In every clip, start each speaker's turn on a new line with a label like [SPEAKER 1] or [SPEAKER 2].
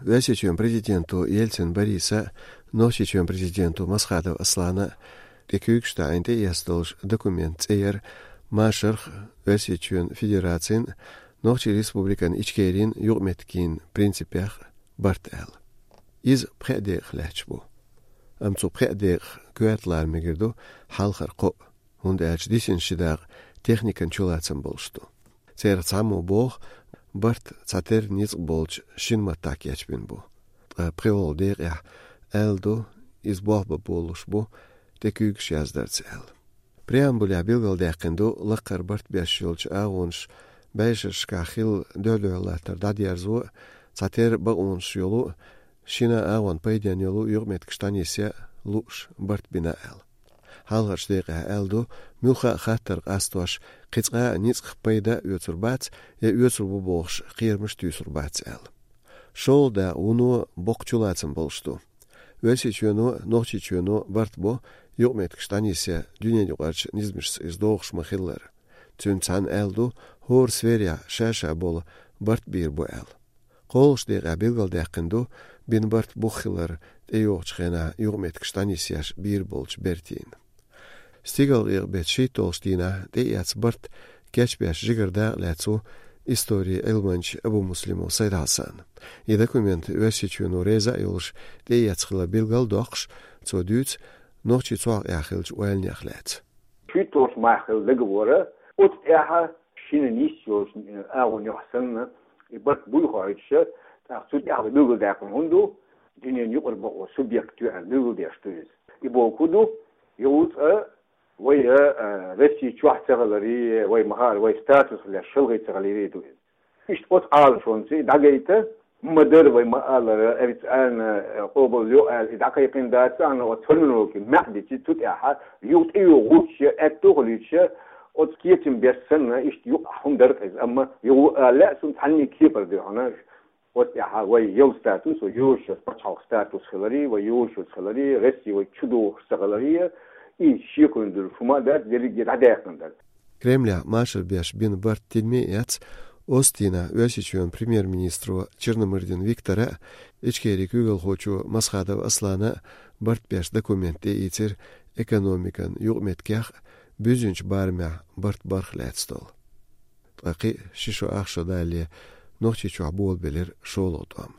[SPEAKER 1] весичем президенту Ельцин Бориса, ночичем президенту Масхадов Аслана, Рекюкштайнте ястолж документ цейер Машарх весичен федерацин, ночи республикан ичкерин югметкин принципях бартел. Из пхедех лечбу. Амцу пхедех куэтлар мегерду халхар ко, und дисин шидаг техникан чулацам болшту. Цер цаму бог Bart Zater niets bolch shinmatak yachbinbu. Preol der eldo is bohba boluşbu tekük şazdartsel. Preambuля bilgal deqindu laqar Bart beshilch ağunş beşiş kaxil dölölatar dadyarzu Zater bağunş yolu şina ağun paydan yolu yurmet kştanisi luş Bart binael. Halğaç deqe eldo mülxa xatar astoş qitsqa niç payda ötürbat ya ötürbu boğış qiyirmiş tüsürbat el. Şolda unu boqçulatsın bolştu. Ösiçönu noqçiçönu bartbo yurmet kştanisi dünya yuqarç nizmiş izdoğış mahillar. Tünçan eldo hor sverya şaşa bol bart bir bu el. Qolş deqe bilgal deqindu bin bart buxillar eyoqçxena yurmet kştanisi bir bolç bertin. Stigal bet shitolstina deyats Bart geçbeş jigerda letsu истории Elmanç Abu Muslim Said Hasan. I dokument ösiçunu reza yolş deyatskla bilgal doqş çodüç noqçi çoq yaxilç welnyaqlat.
[SPEAKER 2] Shitos mahil legwore ot eha shininisyos aun yohsan Bart buyhoytse taqsut ya bilgal daqın hundu dinin yuqur bu subyektü bilgal daqtüz. İbo kudu yoğut ويا رسي شواح تغلري ويا مهار ويا ستاتوس ولا شلغي تغلري دو إيش بوت عال شونسي دعيته مدر ويا ما قال أبيت أنا قبل يو إذا كيقين دات أنا وتفهمنه كي معدي تut أحد يوت إيو غوش أتوغليش أتكيتم بيسنا إيش يو هم درت أما يو لا سنت عني كيبر ده أنا وت أحد ويا يو ستاتوس ويوش بتشاو ستاتوس خلري ويوش خلري رسي ويشدو خلري
[SPEAKER 1] Кремля Машер беш бин Барт Тельмеяц Остина Ösiçön премьер-министру Черномырдин Виктора ичкери күгел хочу Масхадов Аслана Барт беш документте итер экономикан югметках бүзүнч бармя Барт бархлатстол. Таки шишо ахшо дали нохчичу абол белер шолотам.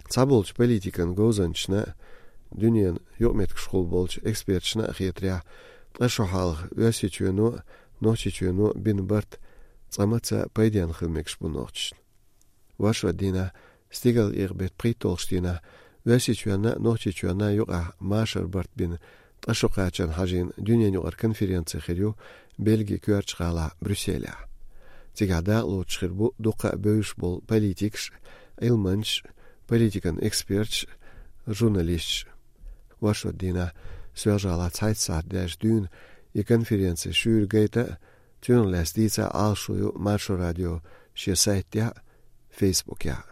[SPEAKER 1] Цаболч политикан гозанчна Dünyanın yokmetk şkol bolç ekspertçina axiyetriya qashohal ösiçönu noçiçönu bin Bart tsamatsa paydian xilmekş bu noçç. Vaşva dina stigal irbet pritolstina ösiçöna noçiçöna yoqa Maşar Bart bin qashoqaçan hajin dünyanın yoqar konferensiya xiryu Belgi körçqala Brüsselya. Tigada loçxir bu doqa böyüş bol politikş ilmanç politikan ekspertç журналист ваша дина свяжала цайтсат дэж дün и конференция шүргейта тюнлэс дица алшую маршо радио шесайтя фейсбукя